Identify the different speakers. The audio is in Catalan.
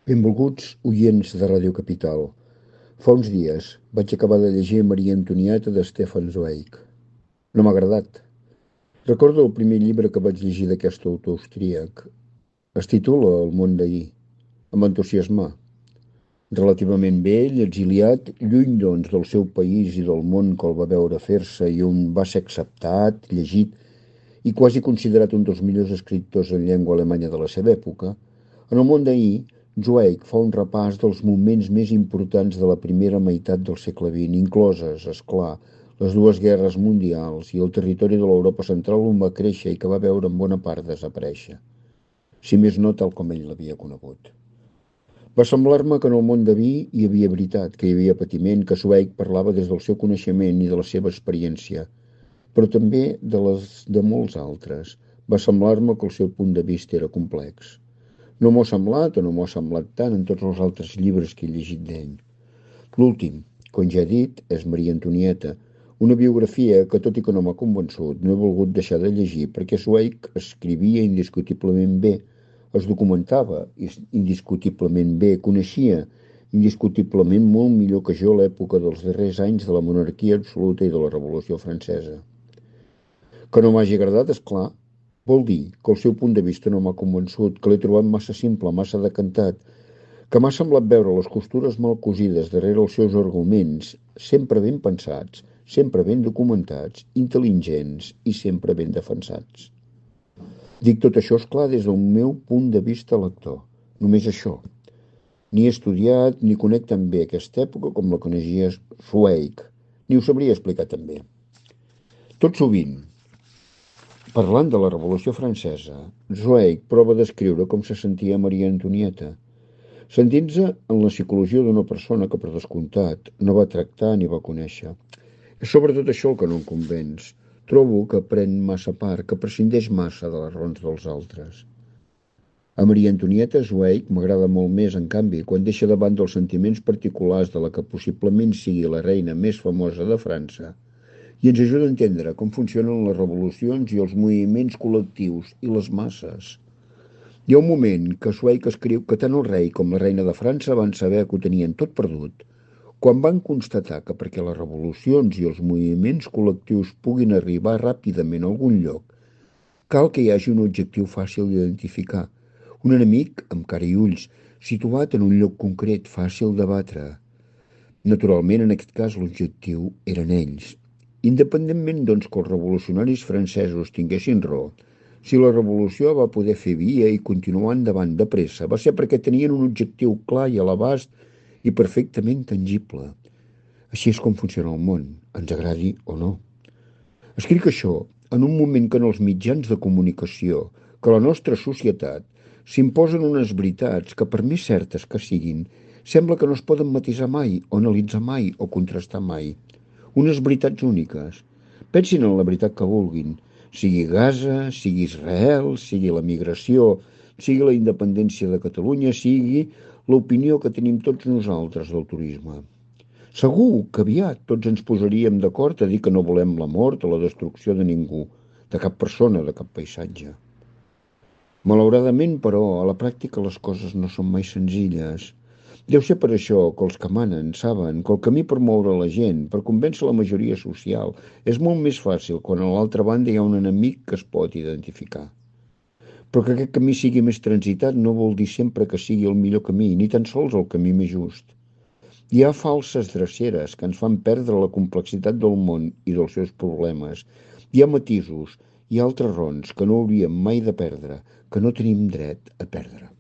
Speaker 1: Benvolguts oients de Ràdio Capital. Fa uns dies vaig acabar de llegir Maria Antonieta de Stefan Zweig. No m'ha agradat. Recordo el primer llibre que vaig llegir d'aquest autor austríac. Es titula El món d'ahir. Em va entusiasmar. Relativament vell, exiliat, lluny doncs del seu país i del món que el va veure fer-se i on va ser acceptat, llegit i quasi considerat un dels millors escriptors en llengua alemanya de la seva època, en el món d'ahir, Zweig fa un repàs dels moments més importants de la primera meitat del segle XX, incloses, és clar, les dues guerres mundials i el territori de l'Europa central on va créixer i que va veure en bona part desaparèixer. Si més no, tal com ell l'havia conegut. Va semblar-me que en el món de vi hi havia veritat, que hi havia patiment, que Zweig parlava des del seu coneixement i de la seva experiència, però també de les de molts altres. Va semblar-me que el seu punt de vista era complex. No m'ho ha semblat o no m'ho ha semblat tant en tots els altres llibres que he llegit d'ell. L'últim, com ja he dit, és Maria Antonieta, una biografia que, tot i que no m'ha convençut, no he volgut deixar de llegir perquè Zweig escrivia indiscutiblement bé, es documentava indiscutiblement bé, coneixia indiscutiblement molt millor que jo l'època dels darrers anys de la monarquia absoluta i de la Revolució Francesa. Que no m'hagi agradat, és clar, vol dir que el seu punt de vista no m'ha convençut, que l'he trobat massa simple, massa decantat, que m'ha semblat veure les costures mal cosides darrere els seus arguments, sempre ben pensats, sempre ben documentats, intel·ligents i sempre ben defensats. Dic tot això, és clar, des del meu punt de vista lector. Només això. Ni he estudiat ni conec tan bé aquesta època com la coneixia Zweig, ni ho sabria explicar tan bé. Tot sovint, parlant de la Revolució Francesa, Zweig prova d'escriure com se sentia Maria Antonieta, sentint-se en la psicologia d'una persona que, per descomptat, no va tractar ni va conèixer. És sobretot això el que no em convenç. Trobo que pren massa part, que prescindeix massa de les raons dels altres. A Maria Antonieta Zweig m'agrada molt més, en canvi, quan deixa de banda els sentiments particulars de la que possiblement sigui la reina més famosa de França i ens ajuda a entendre com funcionen les revolucions i els moviments col·lectius i les masses. Hi ha un moment que Zweig escriu que tant el rei com la reina de França van saber que ho tenien tot perdut, quan van constatar que perquè les revolucions i els moviments col·lectius puguin arribar ràpidament a algun lloc, cal que hi hagi un objectiu fàcil d'identificar, un enemic amb cara i ulls, situat en un lloc concret, fàcil de batre. Naturalment, en aquest cas, l'objectiu eren ells. Independentment, doncs, que els revolucionaris francesos tinguessin raó, si la revolució va poder fer via i continuar endavant de pressa, va ser perquè tenien un objectiu clar i a l'abast i perfectament tangible. Així és com funciona el món, ens agradi o no. Escric això en un moment que en els mitjans de comunicació, que la nostra societat, s'imposen unes veritats que, per més certes que siguin, sembla que no es poden matisar mai, o analitzar mai, o contrastar mai. Unes veritats úniques. Pensin en la veritat que vulguin, sigui Gaza, sigui Israel, sigui la migració, sigui la independència de Catalunya, sigui l'opinió que tenim tots nosaltres del turisme. Segur que aviat tots ens posaríem d'acord a dir que no volem la mort o la destrucció de ningú, de cap persona, de cap paisatge. Malauradament, però, a la pràctica les coses no són mai senzilles. Deu ser per això que els que manen saben que el camí per moure la gent, per convèncer la majoria social, és molt més fàcil quan a l'altra banda hi ha un enemic que es pot identificar. Però que aquest camí sigui més transitat no vol dir sempre que sigui el millor camí, ni tan sols el camí més just. Hi ha falses dreceres que ens fan perdre la complexitat del món i dels seus problemes. Hi ha matisos i altres raons que no hauríem mai de perdre, que no tenim dret a perdre.